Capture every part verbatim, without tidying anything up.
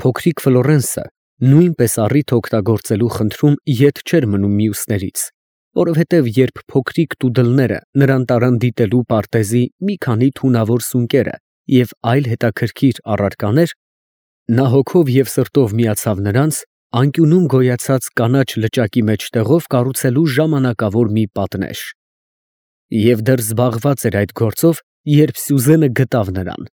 փոքրիկ Ֆլորենսը նույնպես առիթ օգտագործելու խնդրում ետ չէր մնում մյուսներից, որովհետև երբ փոքրիկ տուդլները նրան տարան դիտելու պարտեզի մի քանի թունավոր սունկերը և այլ հետաքրքիր առարկաներ, նա հոգով և սրտով միացավ նրանց անկյունում գոյացած կանաչ լճակի մեջտեղով կառուցելու ժամանակավոր մի պատնեշ։ Եվ դեռ զբաղված էր այդ գործով, երբ Սյուզենը գտավ նրան։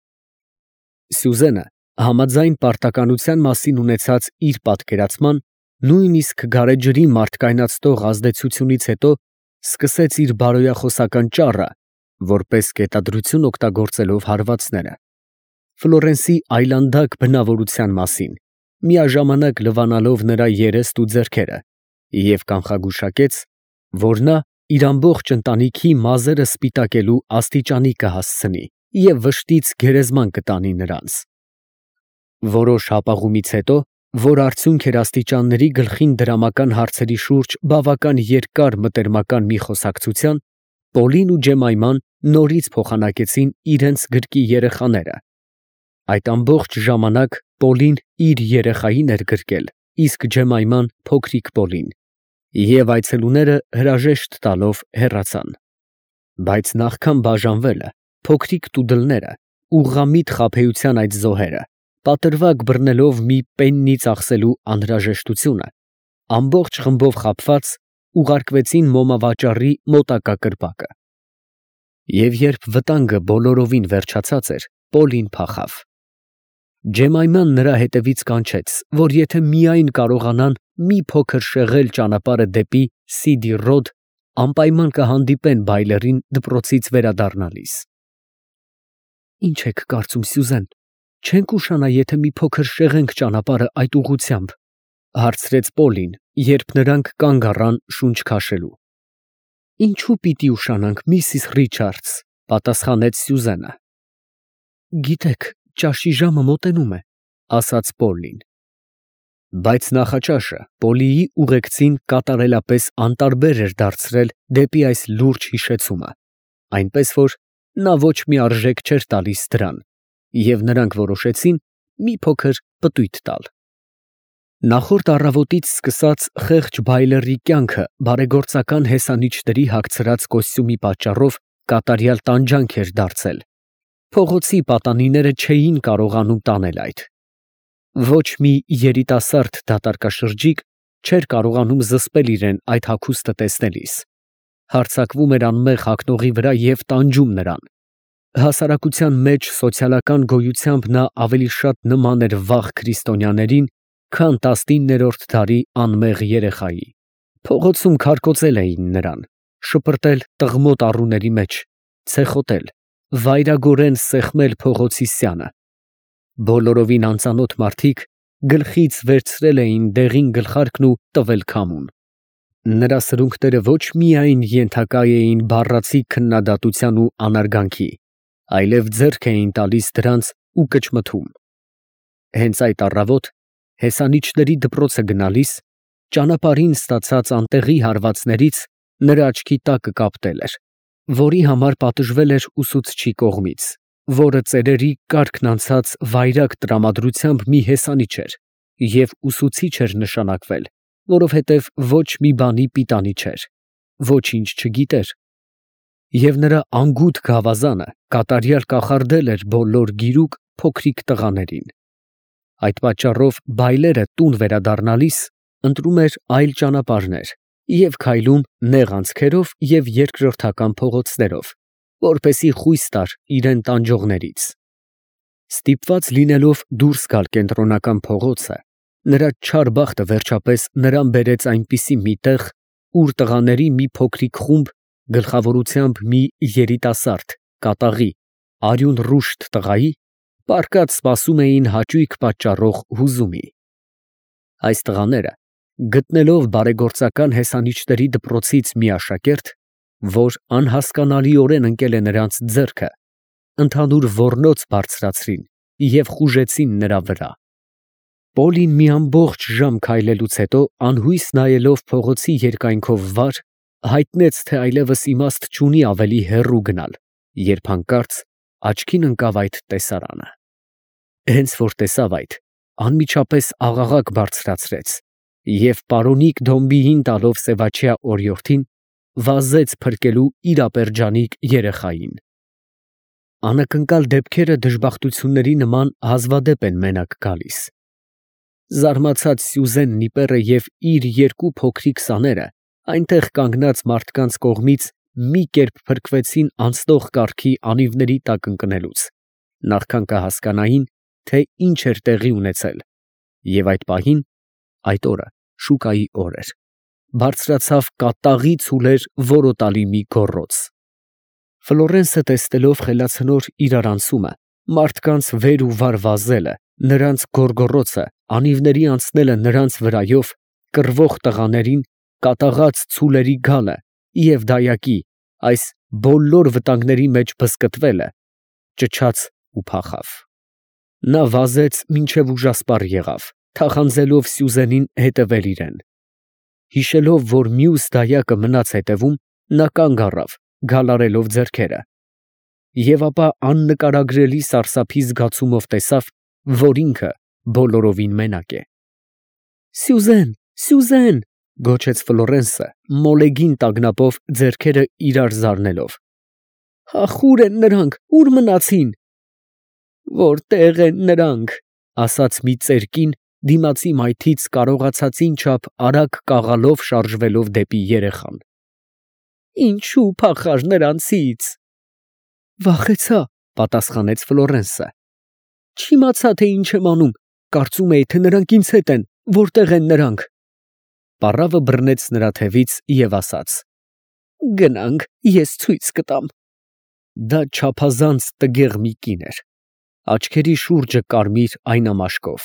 Սյուզենը, համաձայն պարտականության մասին ունեցած իր պատկերացման, նույնիսկ գարեջրի մարդկայնացնող ազդեցությունից հետո սկսեց իր բարոյախոսական ճառը, որպես կետադրություն օգտագործելով հարվածները, Ֆլորենսի այլանդակ բնավորության մասին, միաժամանակ լվանալով նրա երեստ ու ձեռքերը, և կանխագուշակեց, որ նա իր ամբողջ ընտանիքի մազերը սպիտակելու աստիճանի կհասցնի և վշտից գերեզման կտանի նրանց։ Որոշ հապաղումից հետո, որ արդյունք էր աստիճանների գլխին դրամական հարցերի շուրջ բավական երկար մտերմական մի խոսակցության, Պոլին ու Ջեմայման նորից փոխանակեցին իրենց գրկի երեխաները։ Այդ ամբողջ ժամանակ Պոլին իր երեխային էր գրկել, իսկ Ջեմայման փոքրիկ Պոլին, և այցելուները հրաժեշտ տալով հեռացան։ Բայց նախքան բաժանվելը, փոքրիկ տուդլները, ուղղամիտ խաբեության այդ զոհերը, պատրվակ բռնելով մի պեննի ծախսելու անհրաժեշտությունը, ամբողջ խմբով խաբված, ուղարկվեցին մոմավաճառի մոտակա կրպակը։ Եվ երբ վտանգը բոլորովին վերջացած էր, Պոլին փախավ։ Ջեմայման նրա հետևից կանչեց, որ եթե միայն կարողանան մի փոքր շեղել ճանապարհը դեպի Սիդի Ռոդ, անպայման կհանդիպեն բայլերին դպրոցից վերադառնալիս։ «Ի՞նչ եք կարծում, Սյուզեն, չենք ուշանա, եթե մի փոքր շեղենք ճանապարհը այդ ուղղությամբ», ֊ հարցրեց Պոլին, երբ նրանք կանգ առան շունչ քաշելու։ «Ինչու պիտի ուշանանք, միսիս Ռիչարդս», ֊ պատասխանեց Սյուզենը։ «Գիտեք, ճաշի ժամը մոտենում է», ֊ ասաց Պոլին։ Բայց նախաճաշը Պոլիի ուղեկցին կատարելապես անտարբեր էր դարձրել դեպի այս լուրջ հիշեցումը, այնպես որ նա ոչ մի արժեք չէր տալիս դրան, և նրանք որոշեցին մի փոքր պտույտ տալ։ Նախորդ առավոտից սկսած խեղճ բայլերի կյանքը բարեգործական հեսանիչների հագցրած կոստյումի պատճառով կատարյալ տանջանք էր դարձել։ Փողոցի պատանիները չէին կարողանում տանել այդ։ Ոչ մի երիտասարդ դատարկաշրջիկ չէր կարողանում զսպել իրեն այդ հագուստը տեսնելիս։ Հարձակվում էր անմեղ հագնողի վրա և տանջում նրան։ Հասարակության մեջ սոցիալական գոյությամբ նա ավելի շատ նման էր վաղ քրիստոնյաներին, քան տասնիններորդ դարի անմեղ երեխայի։ Փողոցում քարկոծել էին նրան, շպրտել տղմոտ առուների մեջ, ցեխոտել, վայրագորեն սեղմել փողոցի սյանը։ Բոլորովին անծանոթ մարդիկ գլխից վերցրել էին դեղին գլխարկն ու տվել քամուն։ Նրա սրունքները ոչ միայն ենթակա էին բառացի քննադատության ու անարգանքի, այլև ձեռք էին տալիս դրանց ու կճմթում։ Հենց այդ առավոտ, հեսանիչների դպրոցը գնալիս, ճանապարհին ստացած անտեղի հարվածներից նրա աչքի տակը կապտել էր, որի համար պատժվել էր ուսուցչի կողմից, որը ծերերի կարգն անցած վայրագ տրամադրությամբ մի հեսանիչ էր և ուսուցիչ էր նշանակվել, որովհետև ոչ մի բանի պիտանի չէր, ոչինչ չգիտեր, և նրա անգութ գավազանը կատարյալ կախարդել էր բոլոր գիրուկ փոքրիկ տղաներին։ Այդ պատճառով բայլերը տուն վերադառնալիս ընտրում էր այլ ճանապարհներ և քայլում նեղ անցքերով և երկրորդական փողոցներով, որպեսզի խույս տար իրան տանջողներից։ Ստիպված լինելով դուրս գալ կենտրոնական փողոցը, նրա չար բախտը վերջապես նրան բերեց այնպիսի մի տեղ, ուր տղաների մի փոքրիկ խումբ, գլխավորությամբ մի երիտասարդ, կատաղի, արյուն ռուշտ տղայի, պառկած սպասում էին հաճույք պատճառող հուզումի։ Այս տղաները, գտնելով բարեգործական հեսանիչների դպրոցից մի աշակերտ, որ անհասկանալիորեն ընկել է նրանց ձեռքը, ընդհանուր ոռնոց բարձրացրին և խուժեցին նրա վրա։ Պոլին մի ամբողջ ժամ քայլելուց հետո, անհույս նայելով փողոցի երկայնքով վար, հայտնեց, թե այլևս իմաստ չունի ավելի հեռու գնալ, երբ հանկարծ աչքին ընկավ այդ տեսարանը։ Հենց որ տեսավ այդ, անմիջապես աղաղակ բարձրացրեց և պարոնիկ Դոմբիին տալով սևաչյա օրիորդին, վազեց փրկելու իր ապերջանիկ երեխային։ Անակնկալ դեպքերը դժբախտությունների նման հազվադեպ են մենակ գալիս։ Զարմացած Սյուզեն Նիպերը և իր երկու փոքրիկ սաները այնտեղ կանգնած մարդկանց կողմից մի կերպ փրկվեցին անցնող կառքի անիվների տակ ընկնելուց, նախքան կհասկանային, թե ինչ էր տեղի ունեցել, և այդ պահին (այդ օրը շուկայի օր էր) բարձրացավ կատաղի ցուլեր որոտալի մի գոռոց։ Ֆլորենսը տեսնելով խելացնոր իրարանցումը, մարդկանց վեր ու վար վազելը, նրանց գոռգոռոցը, անիվների անցնելը նրանց վրայով, կռվող տղաներին, կատաղած ցուլերի գալը և դայակի, այս բոլոր վտանգների մեջ բզկտվելը, ճչաց ու փախավ։ Նա վազեց մինչև ուժասպառ եղավ, թախանձելով Սյուզենին հետևել իրեն։ Հիշելով, որ մյուս դայակը մնաց հետևում, նա կանգ առավ, գալարելով ձեռքերը, և ապա աննկարագրելի սարսափի զգացումով տեսավ, որ ինքը բոլորովին մենակ է։ «Սյուզեն, Սյուզեն», գոչեց Ֆլորենսը, մոլեգին տագնապով ձեռքերը իրար զարնելով, «ախ, ո՞ւր են նրանք, ո՞ւր մնացին»։ «Որտե՞ղ են նրանք», ասաց մի ծեր կին, դիմացի մայթից կարողացածին չափ արագ կաղալով շարժվելով դեպի երեխան։ «Ինչո՞ւ փախար նրանցից»։ «Վախեցա», պատասխանեց Ֆլորենսը։ «Չիմացա, թե ինչ եմ անում, կարծում էի, թե նրանք ինձ հետ են, որտե՞ղ են նրանք»։ Պառավը բռնեց նրա թևից և ասաց. «Գնանք, ես ցույց կտամ»։ Դա չափազանց տգեղ մի կին էր, աչքերի շուրջը կարմիր այնամաշկով։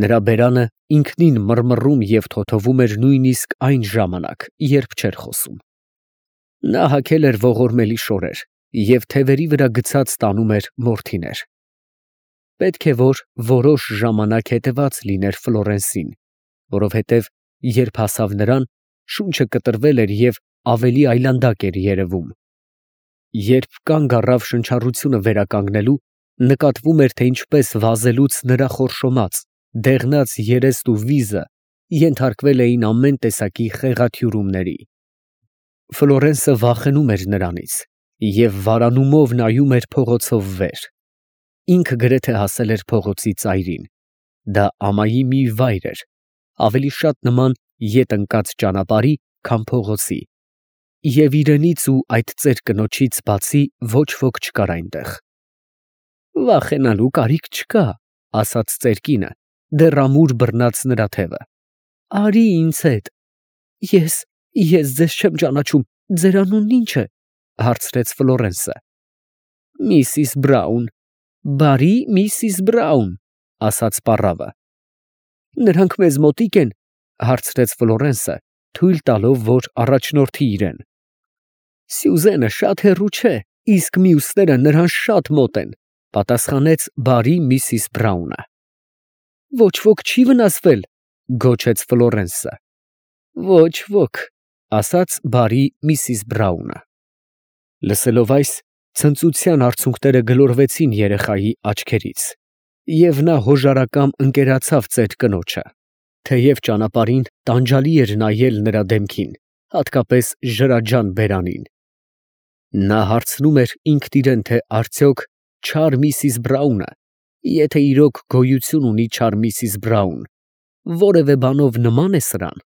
Նրա բերանը ինքնին մռմռում և թոթվում էր նույնիսկ այն ժամանակ, երբ չէր խոսում։ Նա հագել էր ողորմելի շորեր և թևերի վրա գցած տանում էր մորթիներ։ Պետք է որ որոշ ժամանակ հետևած լիներ Ֆլորենսին, որովհետև երբ հասավ նրան, շունչը կտրվել էր և ավելի այլանդակ էր երևում։ Երբ կանգ առավ շնչառությունը վերականգնելու, նկատվում էր, թե ինչպես վազելուց նրա խորշոմած, դեղնած երեստ ու վիզը ենթարկվել էին ամեն տեսակի խեղաթյուրումների։ Ֆլորենսը վախենում էր նրանից և վարանումով նայում էր փողոցով վեր։ Ինքը գրեթե հասել էր փողոցի ծայրին։ Դա ամայի մի վայր էր, ավելի շատ նման ետ ընկած ճանապարհի, քան փողոցի, և իրենից ու այդ ծեր կնոջից բացի ոչ ոք չկար այնտեղ։ «Վախենալու կարիք չկա», ասաց ծեր կինը, դեռ ամուր բռնած նրա թևը։ «Արի ինձ հետ»։ «Ես… ես ձեզ չեմ ճանաչում, ձեր անունն ի՞նչ է», հարցրեց Ֆլորենսը։ «Միսիս Բրաուն»։ «Բարի Միսիս Բրաուն», ասաց պառավը։ «Նրանք մեզ մոտիկ են», հարցրեց Ֆլորենսը, թույլ տալով, որ առաջնորդի իրեն։ «Սյուզենը շատ հեռու չէ, իսկ մյուսները նրան շատ մոտ են», պատասխանեց բարի Միսիս Բրաունը։ «Ոչ ոք չի վնասվել», գոչեց Ֆլորենսը։ «Ոչ ոք», ասաց բարի Միսիս Բրաունը։ Լսելով այս, ցնծության արցունքները գլորվեցին երեխայի աչքերից, և նա հոժարակամ ընկերացավ ծեր կնոջը, թեև ճանապարհին տանջալի էր նայել նրա դեմքին, հատկապես ժրաջան բերանին։ Նա հարցնում էր ինքն իրեն, թե արդյոք չար Միսիս Բրաունը, եթե իրոք գոյություն ունի չար Միսիս Բրաուն, որևէ բանով նմա՞ն է սրան։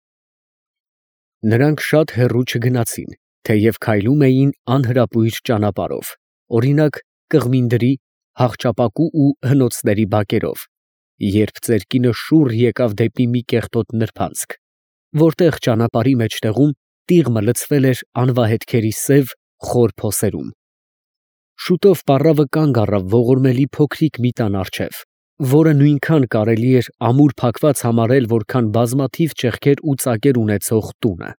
Նրանք շատ հեռու չգնացին, թեև քայլում էին անհրապույր ճանապարհով, օրինակ կղմինդրի, հախճապակու ու հնոցների բակերով, երբ ծեր կինը շուռ եկավ դեպի մի կեղտոտ նրբանցք, որտեղ ճանապարհի մեջտեղում տիղմը լցվել էր անվահետքերի սև, խոր փոսերում։ Շուտով պառավը կանգ առավ ողորմելի փոքրիկ մի տան առջև, որը նույնքան կարելի էր ամուր փակված համարել, որքան բազմաթիվ ճեղքեր ու ծակեր ունեցող տունը։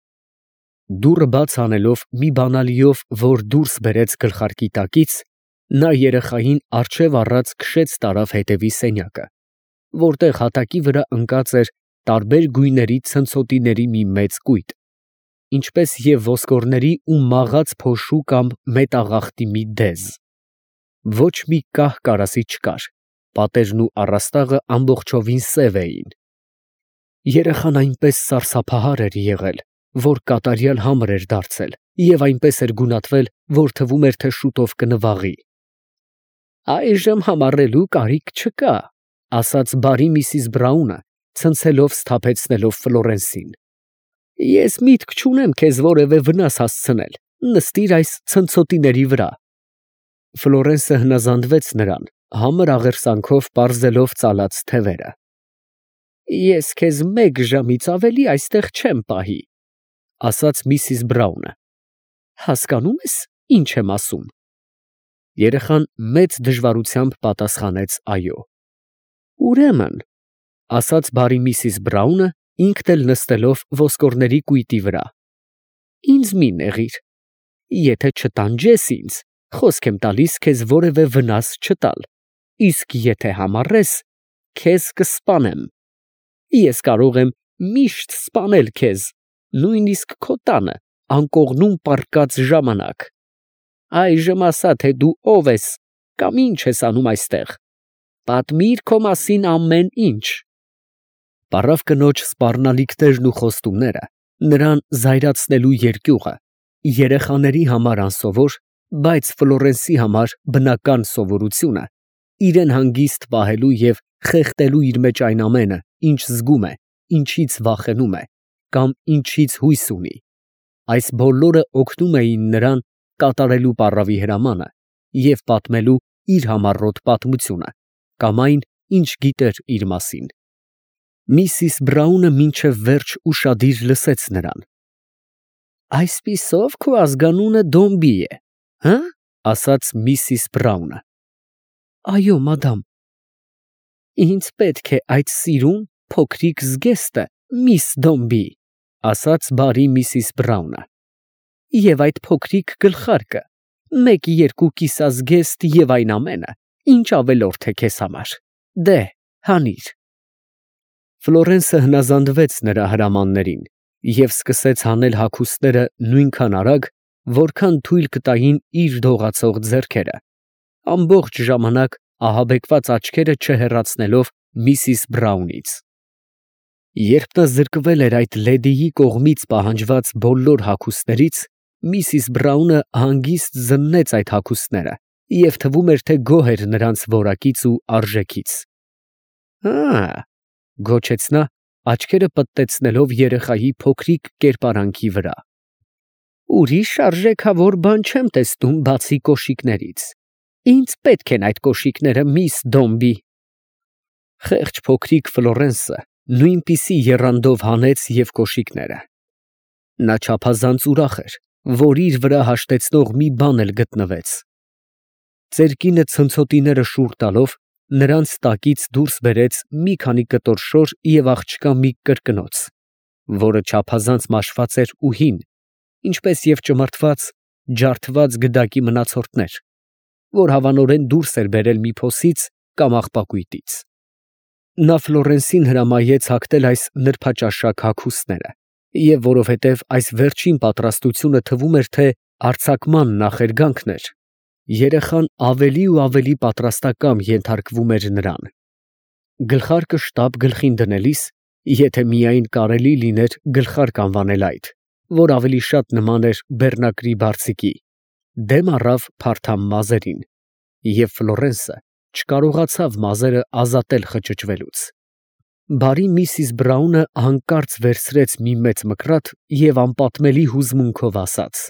Դուռը բաց անելով մի բանալիով, որ դուրս բերեց գլխարկի տակից, նա երեխային առջև առած քշեց տարավ հետևի սենյակը, որտեղ հատակի վրա ընկած էր տարբեր գույների ցնցոտիների մի մեծ կույտ, ինչպես և ոսկորների ու մաղած փոշու կամ մետաղախտի մի դեզ։ Ոչ մի կահ կարասի չկար, Պատերն ու առաստաղը ամբողջովին սև էին։ Երեխան այնպես սարսափահար էր եղել, որ կատարյալ համր էր դարձել և այնպես էր գունատվել, որ թվում էր, թե շուտով կնվաղի։ «Այժմ համառելու կարիք չկա», ֊ ասաց բարի միսիս Բրաունը, ցնցելով սթափեցնելով Ֆլորենսին։ «Ես միտք չունեմ քեզ որևէ վնաս հասցնել, նստիր այս ցնցոտիների վրա»։ Ֆլորենսը հնազանդվեց նրան, համր աղերսանքով պարզելով ծալած թևերը։ «Ես քեզ մեկ ժամից ավելի այստեղ չեմ պահի», ֊ ասաց միսիս Բրաունը։ «Հասկանում ես, ինչ եմ ասում»։ Երեխան մեծ դժվարությամբ պատասխանեց այո։ «Ուրեմն», ֊ ասաց բարի միսիս Բրաունը, ինքն էլ նստելով ոսկորների կույտի վրա, «ինձ մի նեղիր։ Եթե չտանջես ինձ, խոսք եմ տալիս քեզ որևէ վնաս չտալ, իսկ եթե համառես, քեզ կսպանեմ։ Ես կարող եմ միշտ սպանել քեզ, նույնիսկ քո տանը անկողնում պառկած ժամանակ։ Այժմ ասա, թե դու ով ես կամ ինչ ես անում այստեղ։ Պատմիր քո մասին ամեն ինչ»։ Պառավ կնոջ սպառնալիքներն ու խոստումները, նրան զայրացնելու երկյուղը, երեխաների համար անսովոր, բայց Ֆլորենսի համար բնական սովորությունը, իրեն հանգիստ պահելու և խեղդելու իր մեջ այն ամենը, ինչ զգում է, ինչից վախենում է կամ ինչից հույս ունի, այս բոլորը օգնում էին նրան կատարելու պառավի հրամանը և պատմելու իր համառոտ պատմությունը կամ այն, ինչ գիտեր իր մասին։ Միսիս Բրաունը մինչև վերջ ուշադիր լսեց նրան։ «Այսպիսով քո ազգանունը Դոմբի է, հը՞, ֊ ասաց միսիս Բրաունը։ ֊ Այո, մադամ։ ֊ Ինձ պետք է այդ սիրուն փոքրիկ զգեստը, միս Դոմբի, ֊ ասաց բարի միսիս Բրաունը, ֊ և այդ փոքրիկ գլխարկը, մեկ երկու կիսազգեստ և այն ամենը, ինչ ավելորդ է քեզ համար, դե՛հ, հանիր»։ Ֆլորենսը հնազանդվեց նրա հրամաններին և սկսեց հանել հագուստները նույնքան արագ, որքան թույլ կտային իր դողացող ձեռքերը, ամբողջ ժամանակ ահաբեկված աչքերը չհեռացնելով միսիս Բրաունից։ Երբ նա զրկվել էր այդ լեդիի կողմից պահանջված բոլոր հագուստներից, միսիս Բրաունը հանգիստ զննեց այդ հագուստները և թվում էր, թե գոհ էր նրանց որակից ու արժեքից։ «Ա՛, ֊ գոչեց նա, աչքերը պտտեցնելով երեխայի փոքրիկ կերպարանքի վրա, ֊ ուրիշ արժեքավոր բան չեմ տեսնում, բացի կոշիկներից։ Ինձ պետք են այդ կոշիկները, միս Դոմբի»։ Խեղճ փոքրիկ Ֆլորենսը նույնպիսի եռանդով հանեց և կոշիկները։ Նա չափազանց ուրախ էր, որ իր վրա հաշտեցնող մի բան էլ գտնվեց։ Ծերկինը ցնցոտիները շուռ տալով, նրանց տակից դուրս բերեց մի քանի կտոր շոր և աղջկա մի կրկնոց, որը չափազանց մաշված էր ու հին, ինչպես և ճմրթված, ջարդված գդակի մնացորդներ, որ հավանորեն դուրս էր բերել մի փոսից կամ աղբակույտից։ Նա Ֆլորենսին հրամայեց հագնել այս նրբաճաշակ հագուստները, և որովհետև այս վերջին պատրաստությունը թվում էր, թե արձակման նախերգանքն էր, երեխան ավելի ու ավելի պատրաստակամ ենթարկվում էր նրան։ Գլխարկը շտապ գլխին դնելիս, եթե միայն կարելի լիներ գլխարկ անվանել այդ, որ ավելի շատ նման էր բեռնակրի բարձիկի, դեմ առավ փարթամ մազերին, և Ֆլորենսը չկարողացավ մազերը ազատել խճճվելուց։ Բարի միսիս Բրաունը հանկարծ վերցրեց մի մեծ մկրատ և անպատմելի հուզմունքով ասաց.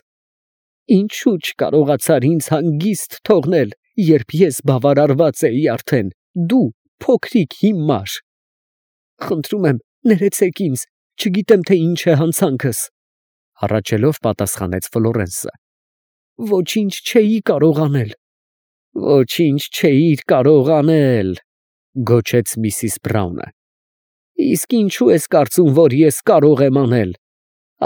«Ինչու չկարողացար ինձ հանգիստ թողնել, երբ ես բավարարված էի արդեն, դու, փոքրիկ հիմար։ Խնդրում եմ, ներեցեք ինձ, չգիտեմ, թե ինչ է հանցանքս, ֊ հառաչելով պատասխանեց Ֆլորենսը։ Ոչինչ չէի կարող անել։ Ոչինչ չէիր կարող անել, ֊ գոչեց միսիս Բրաունը։ Իսկ ինչու ես կարծում, որ ես կարող եմ անել։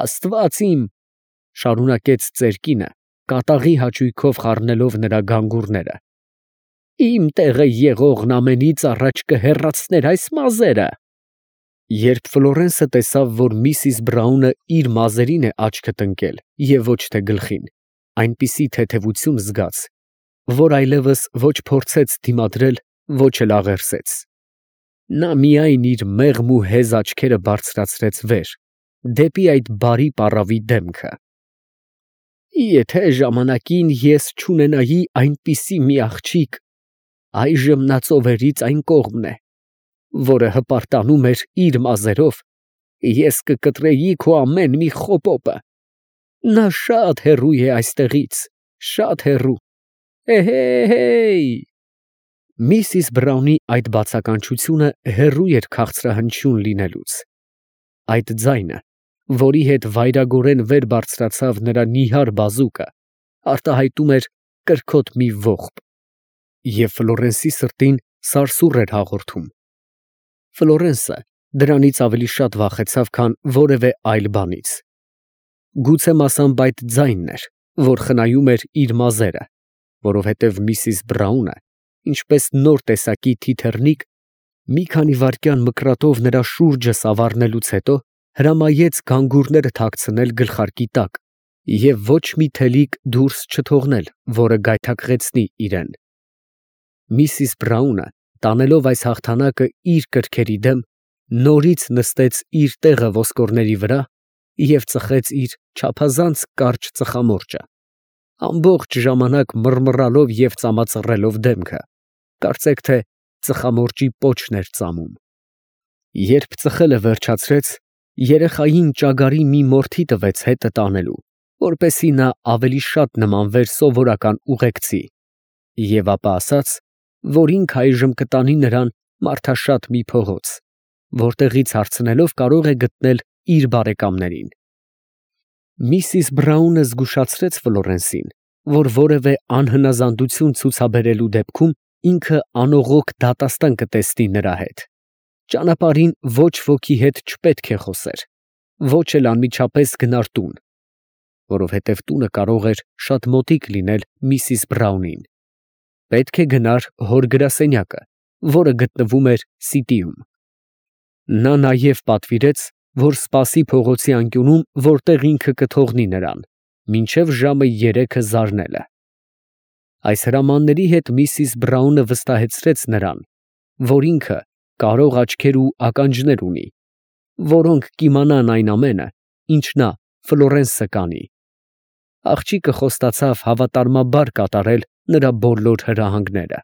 Աստված իմ, ֊ շարունակեց ծերկինը, կատաղի հաճույքով խառնելով նրա գանգուրները, ֊ իմ տեղը եղողն ամենից առաջ կհեռացներ այս մազերը։ Երբ Ֆլորենսը տեսավ, որ միսիս Բրաունը իր մազերին է աչքը տնկել և ոչ թե գլխին, այնպիսի թեթևություն զգաց, որ այլևս ոչ փորձեց դիմադրել ոչ էլ աղերսեց։ Նա միայն իր մեղմ ու հեզ աչքերը բարձրացրեց վեր, դեպի այդ բարի պառավի դեմքը։ Եթե ժամանակին ես չունենայի այնպիսի մի աղջիկ, այժմ նա ծովերից այն կողմն է, որը հպարտանում էր իր մազերով, ես կկտրեի քո ամեն մի խոպոպը։ Նա շատ հեռու է այստեղից, շատ հեռու։ Էհե՜յ։ Միսիս Բրաունի այդ բացականչությունը հեռու էր քաղցրահնչյուն լինելուց։ Այդ ձայնը, որի հետ վայրագորեն վեր բարձրացավ նրա նիհար բազուկը, արտահայտում էր կրքոտ մի ողբ, և Ֆլորենսի սրտին սարսուռ էր հաղորդում։ Ֆլորենսը դրանից ավելի շատ վախեցավ, քան որևէ այլ բանից։ Գուցե մասամբ այդ ձայնն էր, որ խնայում էր իր մազերը, որովհետև միսիս Բրաունը, ինչպես նոր տեսակի թիթեռնիկ, մի քանի վայրկյան մկրատով նրա շուրջը սավառնելուց հետո հրամայեց գանգուրները թաքցնել գլխարկի տակ և ոչ մի թելիկ դուրս չթողնել, որը գայթակղեցնի իրան։ Միսիս Բրաունը, տանելով այս հաղթանակը իր կրքերի դեմ, նորից նստեց իր տեղը ոսկորների վրա և ծխեց իր չափազանց կարճ ծխամորճը, ամբողջ ժամանակ մռմռալով և ծամածռելով դեմքը, կարծեք թե ծխամորճի պոչն էր ծամում։ Երբ ծխելը վերջացրեց, երեխային ճագարի մի մորթի տվեց հետը տանելու, որպեսզի նա ավելի շատ նմանվեր սովորական ուղեկցի, և ապա ասաց, որ ինքը այժմ կտանի նրան մարդաշատ մի փողոց, որտեղից հարցնելով կարող է գտնել իր բարեկամներին։ Միսիս Բրաունը զգուշացրեց Ֆլորենսին, որ որևէ անհնազանդություն ցուցաբերելու դեպքում ինքը անողոք դատաստան կտեսնի նրա հետ։ Ճանապարհին ոչ ոքի հետ չպետք է խոսեր, ոչ էլ անմիջապես գնար տուն, որովհետև տունը կարող էր շատ մոտիկ լինել միսիս Բրաունին։ Պետք է գնար հոր գրասենյակը, որը գտնվում էր Սիտիում։ Նա նաև պատվիրեց, որ սպասի փողոցի անկյունում, որտեղ ինքը կթողնի նրան, մինչև ժամը երեքը զարնելը։ Այս հրամանների հետ միսիս Բրաունը վստահեցրեց նրան, որ ինքը կարող աչքեր ու ականջներ ունի, որոնք կիմանան այն ամենը, ինչ նա Ֆլորենսը կանի։ Աղջիկը խոստացավ հավատարմաբար կատարել նրա բոլոր հրահանգները։